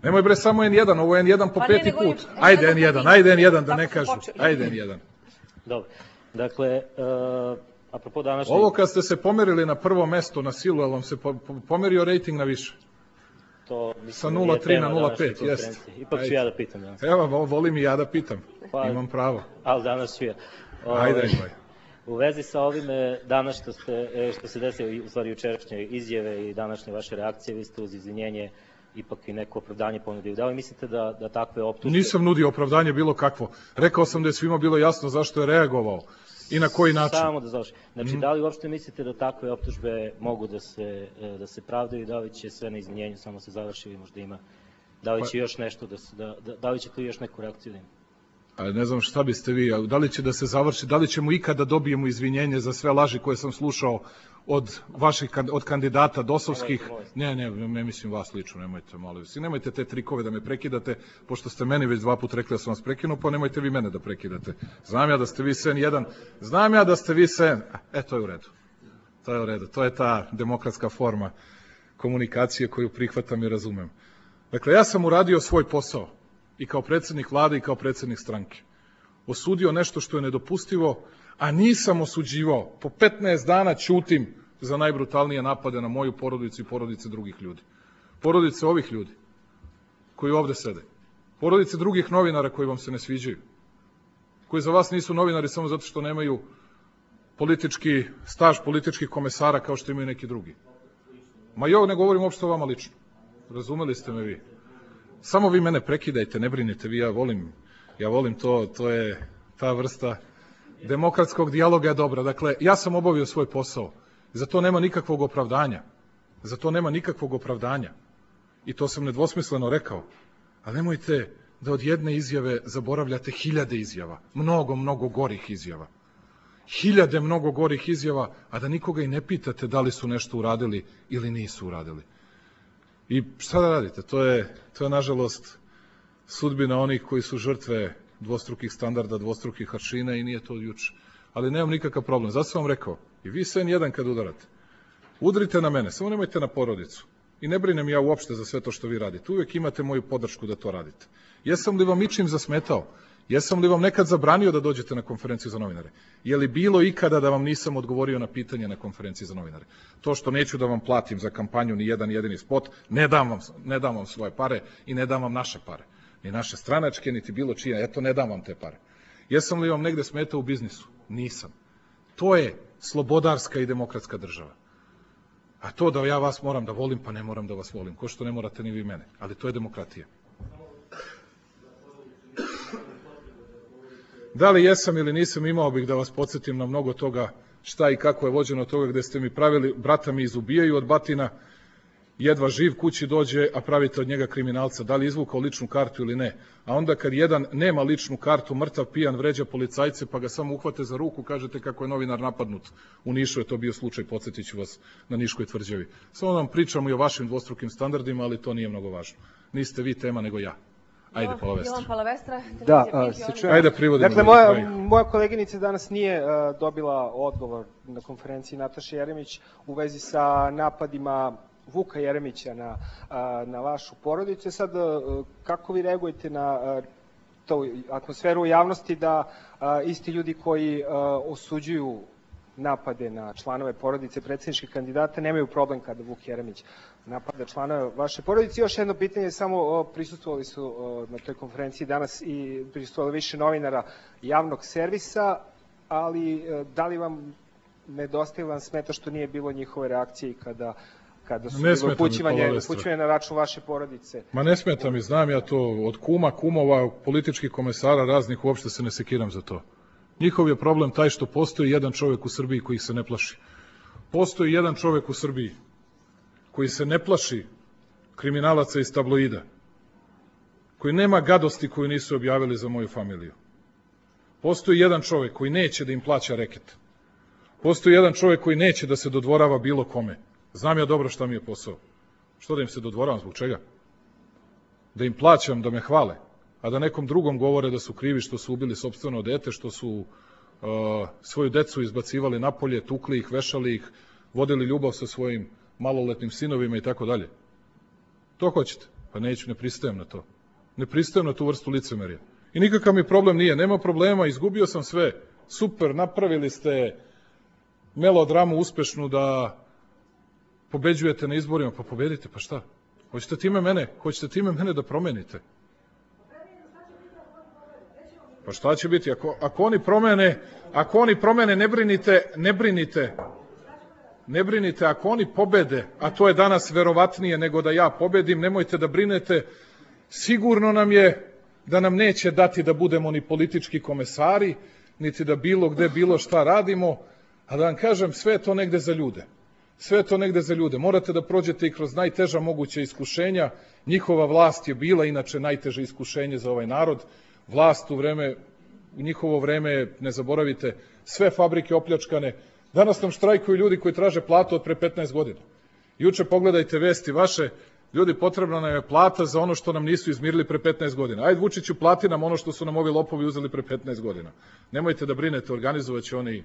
Nemoj bre, samo en jedan, ovo je en jedan po peti put. Ajde en jedan, ajde en jedan da ne kažu. Ajde en jedan. Dobro, dakle, apropo današnje... Ovo kad ste se pomerili na prvo mesto na silu, ali vam se pomerio rejting na više? Sa nula tri na nula pet, jeste. Ipak ću ja da pitam danas. Evo, volim i ja da pitam. Imam pravo. Ali danas ću ja. Ajde, ajde. U vezi sa ovime danas što, ste, što se desilo, u stvari jučerašnje izjave i današnje vaše reakcije, vi ste uz izvinjenje ipak i neko opravdanje ponudili. Da li mislite da, da takve optužbe... Nisam nudio opravdanje bilo kakvo. Rekao sam da je svima bilo jasno zašto je reagovao i na koji način. Samo da završim. Znači, da li uopšte mislite da takve optužbe mogu da se, da se pravdaju i da li će sve na izvinjenju samo se završi ili možda ima? Da li će još nešto da se, da, da, da li će tu još neku reakciju da ima? A ne znam šta biste vi, da li će da se završi, da li ćemo ikada dobijemo izvinjenje za sve laži koje sam slušao od vaših, od kandidata dosovskih, ne, ne, ne mislim vas lično, nemojte, molim vas, i nemojte te trikove da me prekidate, pošto ste meni već dva put rekli da sam vas prekinuo, pa nemojte vi mene da prekidate. Znam ja da ste vi sen jedan, znam ja da ste vi sen, e, to je u redu, to je u redu, to je ta demokratska forma komunikacije koju prihvatam i razumem. Dakle, ja sam uradio svoj posao, i kao predsjednik vlade i kao predsjednik stranke. Osudio nešto što je nedopustivo, a nisam osuđivao. Po petnaest dana ćutim za najbrutalnije napade na moju porodicu i porodice drugih ljudi. Porodice ovih ljudi koji ovde sede. Porodice drugih novinara koji vam se ne sviđaju. Koji za vas nisu novinari samo zato što nemaju politički staž političkih komesara kao što imaju neki drugi. Ma ja ne govorim uopšte o vama lično. Razumeli ste me vi. Samo vi mene prekidajte, ne brinite vi, ja volim, ja volim to, to je ta vrsta demokratskog dijaloga je dobra. Dakle, ja sam obavio svoj posao, za to nema nikakvog opravdanja, za to nema nikakvog opravdanja i to sam nedvosmisleno rekao, ali nemojte da od jedne izjave zaboravljate hiljade izjava, mnogo, mnogo gorih izjava, hiljade mnogo gorih izjava, a da nikoga i ne pitate da li su nešto uradili ili nisu uradili. I šta da radite? To je, to je nažalost, sudbina onih koji su žrtve dvostrukih standarda, dvostrukih aršina i nije to juče. Ali nemam nikakav problem. Zato sam vam rekao, i vi sve jedan kad udarate, udrite na mene, samo nemojte na porodicu. I ne brinem ja uopšte za sve to što vi radite. Uvijek imate moju podršku da to radite. Jesam li vam ičim zasmetao? Jesam li vam nekad zabranio da dođete na konferenciju za novinare? Je li bilo ikada da vam nisam odgovorio na pitanje na konferenciji za novinare? To što neću da vam platim za kampanju ni jedan jedini spot, ne dam vam, ne dam vam svoje pare i ne dam vam naše pare. Ni naše stranačke, niti bilo čije. Eto, ne dam vam te pare. Jesam li vam negde smetao u biznisu? Nisam. To je slobodarska i demokratska država. A to da ja vas moram da volim, pa ne moram da vas volim. Ko što ne morate ni vi mene. Ali to je demokratija. Da li jesam ili nisam, imao bih da vas podsjetim na mnogo toga šta i kako je vođeno toga gde ste mi pravili, brata mi izubijaju od batina, jedva živ kući dođe, a pravite od njega kriminalca, da li izvukao ličnu kartu ili ne. A onda kad jedan nema ličnu kartu, mrtav pijan vređa policajce, pa ga samo uhvate za ruku, kažete kako je novinar napadnut. U Nišu je to bio slučaj, podsjetit ću vas na Niškoj tvrđavi. Samo nam pričamo i o vašim dvostrukim standardima, ali to nije mnogo važno. Niste vi tema, nego ja. Ajde, Palavestra. Jovan Palavestra. Da, se čujem. Ajde, privodimo. Dakle, moja, moja koleginica danas nije uh, dobila odgovor na konferenciji Nataše Jeremić u vezi sa napadima Vuka Jeremića na, uh, na vašu porodicu. Sad, uh, kako vi reagujete na uh, tu atmosferu u javnosti da uh, isti ljudi koji uh, osuđuju napade na članove porodice predsjedničkih kandidata nemaju problem kada Vuk Jeremić napada članove vaše porodice? Još jedno pitanje, samo prisustvovali su na toj konferenciji danas i prisustvovali više novinara javnog servisa, ali da li vam nedostaje, vam smeta što nije bilo njihove reakcije kada kada su bilo upućivanje, upućivanje na račun vaše porodice? Ma ne smeta mi, znam ja to, od kuma, kumova, političkih komesara raznih, uopšte se ne sekiram za to. Njihov je problem taj što postoji jedan čovjek u Srbiji koji se ne plaši. Postoji jedan čovjek u Srbiji koji se ne plaši kriminalaca iz tabloida, koji nema gadosti koju nisu objavili za moju familiju. Postoji jedan čovjek koji neće da im plaća reket. Postoji jedan čovjek koji neće da se dodvorava bilo kome. Znam ja dobro šta mi je posao. Što da im se dodvoravam, zbog čega? Da im plaćam, da me hvale, a da nekom drugom govore da su krivi što su ubili sopstveno dete, što su uh, svoju decu izbacivali napolje, tukli ih, vešali ih, vodili ljubav sa svojim maloletnim sinovima i tako dalje. To hoćete? Pa neću, ne pristajem na to. Ne pristajem na tu vrstu licemerja. I nikakav mi problem nije, nema problema, izgubio sam sve. Super, napravili ste melodramu uspešnu da pobeđujete na izborima, pa pobedite, pa šta? Hoćete time mene, hoćete time mene da promenite? Pa šta će biti? Ako, ako oni promene, ako oni promene, ne brinite, ne brinite, ne brinite, ako oni pobede, a to je danas verovatnije nego da ja pobedim, nemojte da brinete, sigurno nam je da nam neće dati da budemo ni politički komesari, niti da bilo gde bilo šta radimo, a da vam kažem, sve je to negde za ljude. Sve je to negde za ljude. Morate da prođete i kroz najteža moguća iskušenja. Njihova vlast je bila inače najteže iskušenje za ovaj narod. Vlast u vreme, u njihovo vreme, ne zaboravite, sve fabrike opljačkane. Danas nam štrajkuju ljudi koji traže platu od pre petnaest godina. Juče pogledajte vesti vaše, ljudi, potrebna nam je plata za ono što nam nisu izmirili pre petnaest godina. Ajde, Vučiću, plati nam ono što su nam ovi lopovi uzeli pre petnaest godina. Nemojte da brinete, organizovaće oni,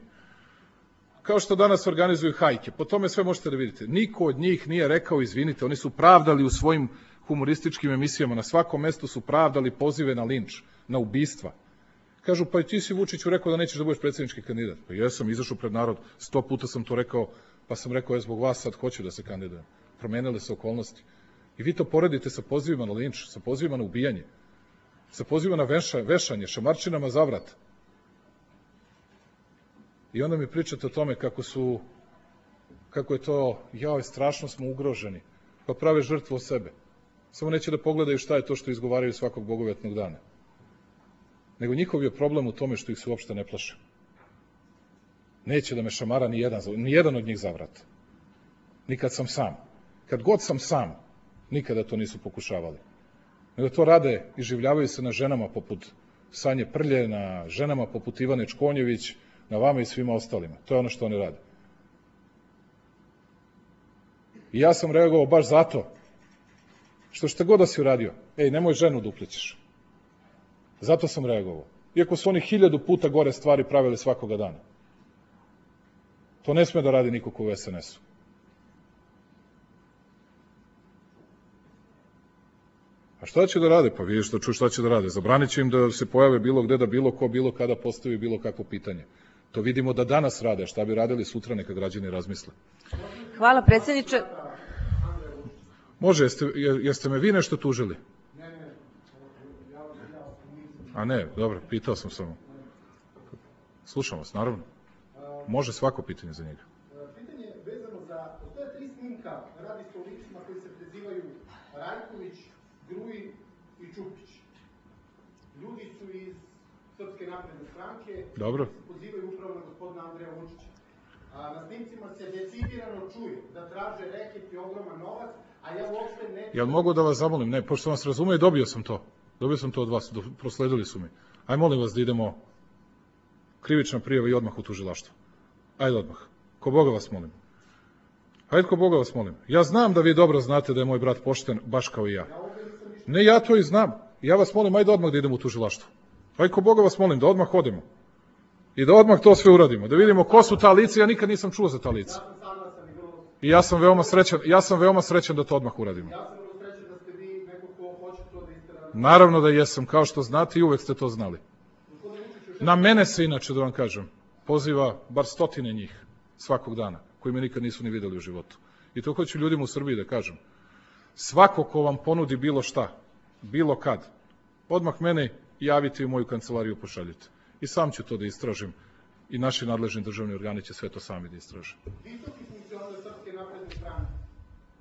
kao što danas organizuju hajke. Po tome sve možete da vidite. Niko od njih nije rekao izvinite, oni su pravdali u svojim humorističkim emisijama, na svakom mestu su pravdali pozive na linč, na ubistva. Kažu, pa i ti si, Vučiću, rekao da nećeš da budeš predsjednički kandidat. Pa jesam, izašao pred narod, sto puta sam to rekao, pa sam rekao, ja zbog vas sad hoću da se kandidujem. Promenile se okolnosti. I vi to poredite sa pozivima na linč, sa pozivima na ubijanje, sa pozivima na veša, vešanje, šamarčinama za vrat. I onda mi pričate o tome kako su, kako je to, jao, strašno smo ugroženi, pa prave žrtvu o sebe. Samo neće da pogledaju šta je to što izgovaraju svakog bogovetnog dana. Nego njihov je problem u tome što ih se uopšte ne plaše. Neće da me šamara ni jedan, ni jedan od njih za vrat. Nikad sam sam. Kad god sam sam, nikada to nisu pokušavali. Nego to rade i življavaju se na ženama poput Sanje Prlje, na ženama poput Ivane Čkonjević, na vama i svima ostalima. To je ono što oni rade. I ja sam reagovao baš zato što šta god da si uradio, ej, nemoj ženu da uplićeš. Zato sam reagovao. Iako su oni hiljadu puta gore stvari pravili svakoga dana. To ne sme da radi niko ko u es en esu. A šta će da rade? Pa vidiš da čuš šta će da rade. Zabranit će im da se pojave bilo gde, da bilo ko, bilo kada postavi bilo kakvo pitanje. To vidimo da danas rade. Šta bi radili sutra, neka građani razmisle. Hvala, predsjedniče. Može, jeste, jeste me vi nešto tužili? A ne, dobro, pitao sam samo. Slušam vas, naravno. Može svako pitanje za njega. Pitanje je vezano za, postoje tri snimka, radi se o licima koji se prezivaju Rajković, Grujić i Čupić. Ljudi su iz Srpske napredne stranke, dobro, se pozivaju upravo na gospodina Andreja Vučića. A na snimcima se decidirano čuje da traže reket i ogroman novac, a ja uopšte ne... Jel mogu da vas zamolim? Ne, pošto vas razume, dobio sam to. Dobio sam to od vas, prosledili su mi. Aj, molim vas da idemo krivična prijava i odmah u tužilaštvo. Ajde odmah. Ko Boga vas molim. Ajde, ko Boga vas molim. Ja znam da vi dobro znate da je moj brat pošten, baš kao i ja. Ne, ja to i znam. Ja vas molim, ajde odmah da idemo u tužilaštvo. Ajde, ko Boga vas molim, da odmah odemo. I da odmah to sve uradimo. Da vidimo ko su ta lica, ja nikad nisam čuo za ta lica. I ja sam veoma srećan, ja sam veoma srećan da to odmah uradimo. Naravno da jesam, kao što znate i uvek ste to znali. Na mene se inače, da vam kažem, poziva bar stotine njih svakog dana, koji me nikad nisu ni videli u životu. I to hoću ljudima u Srbiji da kažem. Svako ko vam ponudi bilo šta, bilo kad, odmah mene javite i u moju kancelariju pošaljite. I sam ću to da istražim i naši nadležni državni organi će sve to sami da istraže. Visoki funkcioner Srpske napredne stranke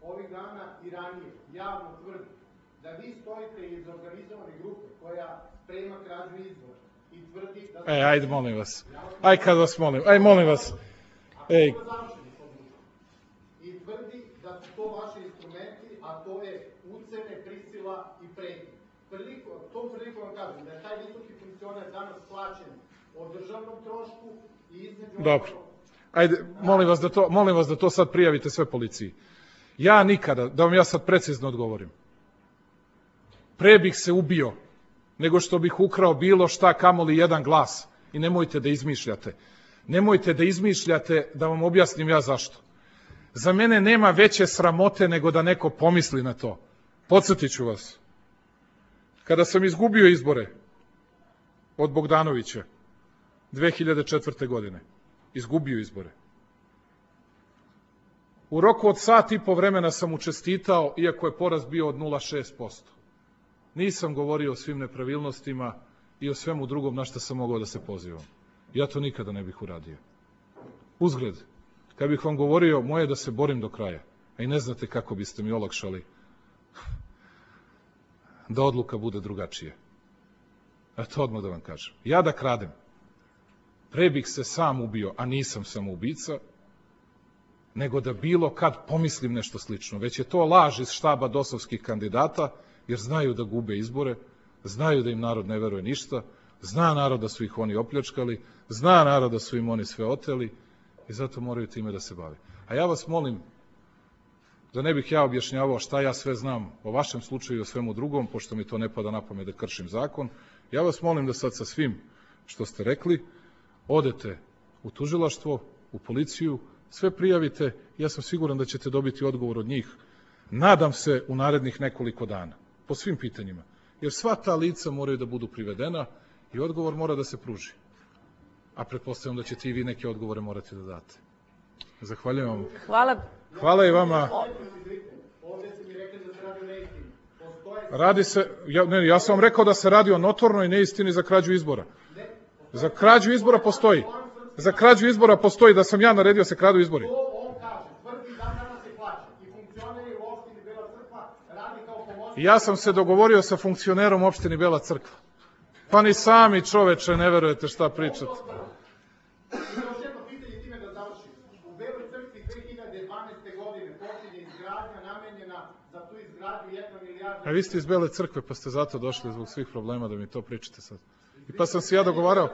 ovih dana i ranije javno tvrdi da vi stojite iz organizovane grupe koja sprema krađu izbora i tvrdi da... E, ajde, molim vas. Aj, kad vas molim. Aj, molim vas. Ej. I tvrdi da su to vaši instrumenti, a to je ucene, prisila i pretnje. Tom priliku vam kažem da je taj visoki funkcioner danas plaćen o državnom trošku i između... Dobro. Ajde, molim vas da to, molim vas da to sad prijavite sve policiji. Ja nikada, da vam ja sad precizno odgovorim, pre bih se ubio nego što bih ukrao bilo šta, kamoli jedan glas. I nemojte da izmišljate. Nemojte da izmišljate, da vam objasnim ja zašto. Za mene nema veće sramote nego da neko pomisli na to. Podsjetit ću vas. Kada sam izgubio izbore od Bogdanovića dve hiljade četvrte. godine, izgubio izbore. U roku od sat i po vremena sam mu čestitao, iako je poraz bio od nula zarez šest posto. Nisam govorio o svim nepravilnostima i o svemu drugom na što sam mogao da se pozivam. Ja to nikada ne bih uradio. Uzgled, kad bih vam govorio, moje je da se borim do kraja, a i ne znate kako biste mi olakšali da odluka bude drugačija. A to odmah da vam kažem. Ja da kradem, pre bih se sam ubio, a nisam samoubica, nego da bilo kad pomislim nešto slično. Već je to laž iz štaba dosovskih kandidata, jer znaju da gube izbore, znaju da im narod ne veruje ništa, zna narod da su ih oni opljačkali, zna narod da su im oni sve oteli i zato moraju time da se bave. A ja vas molim, da ne bih ja objašnjavao šta ja sve znam o vašem slučaju i o svemu drugom, pošto mi to ne pada na pamet da kršim zakon, ja vas molim da sad sa svim što ste rekli, odete u tužilaštvo, u policiju, sve prijavite, ja sam siguran da ćete dobiti odgovor od njih. Nadam se u narednih nekoliko dana, po svim pitanjima, jer sva ta lica moraju da budu privedena i odgovor mora da se pruži. A pretpostavljam da ćete i vi neke odgovore morati da date. Zahvaljujem vam. Hvala. Hvala i vama. Radi se, ja, ne, ja sam vam rekao da se radi o notornoj neistini za krađu izbora. Za krađu izbora postoji. Za krađu izbora postoji da sam ja naredio se kradu izbori. Ja sam se dogovorio sa funkcionerom opštini Bela Crkva. Pa ni sami čoveče ne verujete šta pričate. Još jedno pitanje time da završim. U Beloj Crkvi dve hiljade dvanaeste. godine počinje izgradnja namenjena za tu izgradnju jedna milijarda... A vi ste iz Bele Crkve pa ste zato došli zbog svih problema da mi to pričate sad. I pa sam se ja dogovarao,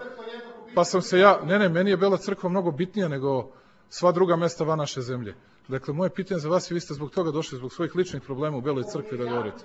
pa sam se ja, ne ne, meni je Bela Crkva mnogo bitnija nego sva druga mesta van naše zemlje. Dakle, moje pitanje za vas je, vi ste zbog toga došli, zbog svojih ličnih problema u Beloj Crkvi da govorite.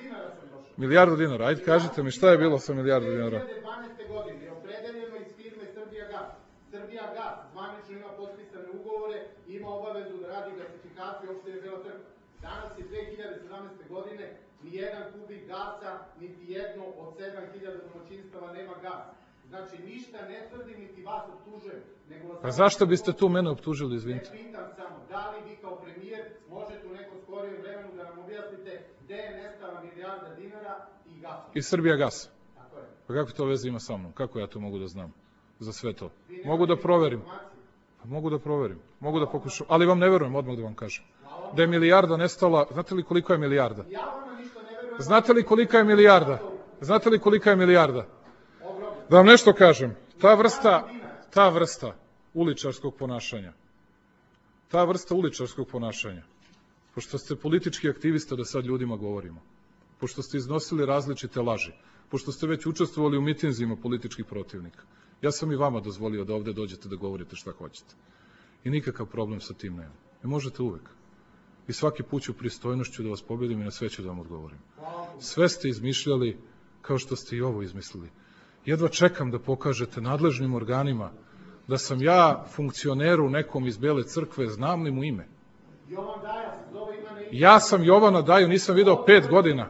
Milijardu dinara, ajde kažite mi šta je bilo sa milijardu dinara. dve hiljade dvanaeste. godine je opredeljeno iz firme Srbija gas. Srbija gas zvanično ima potpisane ugovore i ima obavezu da radi gasifikaciju opštine Bela Crkva. Danas je dve hiljade sedamnaeste. godine, ni jedan kubik gasa, niti jedno od sedam hiljada domaćinstava nema gas. Znači, ništa ne tvrdim, niti vas optužujem. A zašto biste tu mene optužili, izvinite? Ne pitam samo, da li vi kao premijer možete u nekom skorijem vremenu da nam objasnite gde je nestala milijarda dinara i gasa? I Srbija gas. Tako je. Pa kako to veze ima sa mnom? Kako ja to mogu da znam za sve to? Mogu da proverim. Pa mogu da proverim. Mogu da pokušam. Ali vam ne verujem, odmah da vam kažem. Da je milijarda nestala, znate li koliko je milijarda? Znate li kolika je milijarda? Znate li kolika je milijarda? Da vam nešto kažem, ta vrsta, ta vrsta uličarskog ponašanja, ta vrsta uličarskog ponašanja, pošto ste politički aktivista da sad ljudima govorimo, pošto ste iznosili različite laži, pošto ste već učestvovali u mitinzima političkih protivnika, ja sam i vama dozvolio da ovde dođete da govorite šta hoćete. I nikakav problem sa tim nema. Ne možete uvek. I svaki put ću pristojnošću da vas pobedim i na sve ću da vam odgovorim. Sve ste izmišljali kao što ste i ovo izmislili. Jedva čekam da pokažete nadležnim organima da sam ja funkcioneru nekom iz Bele Crkve, znam li mu ime? Ja sam Jovana Daju, nisam video pet godina.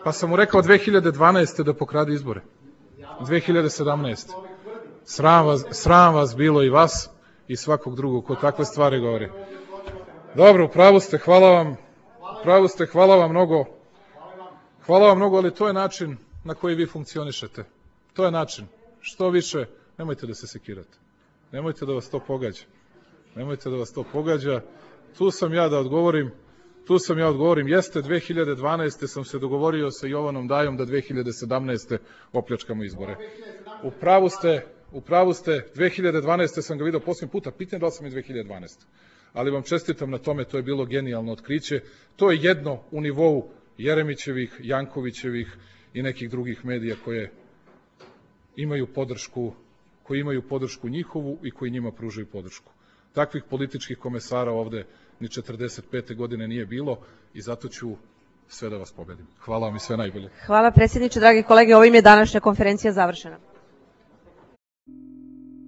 Pa sam mu rekao dve hiljade dvanaeste. da pokrade izbore. dve hiljade sedamnaeste. Sram vas, sram vas bilo i vas i svakog drugog ko takve stvari govori. Dobro, upravo ste, hvala vam. Upravo ste, hvala vam mnogo. Hvala vam mnogo, ali to je način na koji vi funkcionišete. To je način. Što više, nemojte da se sekirate. Nemojte da vas to pogađa. Nemojte da vas to pogađa. Tu sam ja da odgovorim. Tu sam ja odgovorim. Jeste, dve hiljade dvanaeste. sam se dogovorio sa Jovanom Dajom da dve hiljade sedamnaeste. opljačkamo izbore. U pravu ste, u pravu ste, dve hiljade dvanaeste. sam ga vidio posljednji puta. Pitam da li sam i dve hiljade dvanaeste. Ali vam čestitam na tome, to je bilo genijalno otkriće. To je jedno u nivou Jeremićevih, Jankovićevih i nekih drugih medija koje imaju podršku koji imaju podršku njihovu i koji njima pružaju podršku. Takvih političkih komesara ovde ni četrdeset pete godine nije bilo i zato ću sve da vas pobedim. Hvala vam i sve najbolje. Hvala predsjedniče, dragi kolege, ovim je današnja konferencija završena.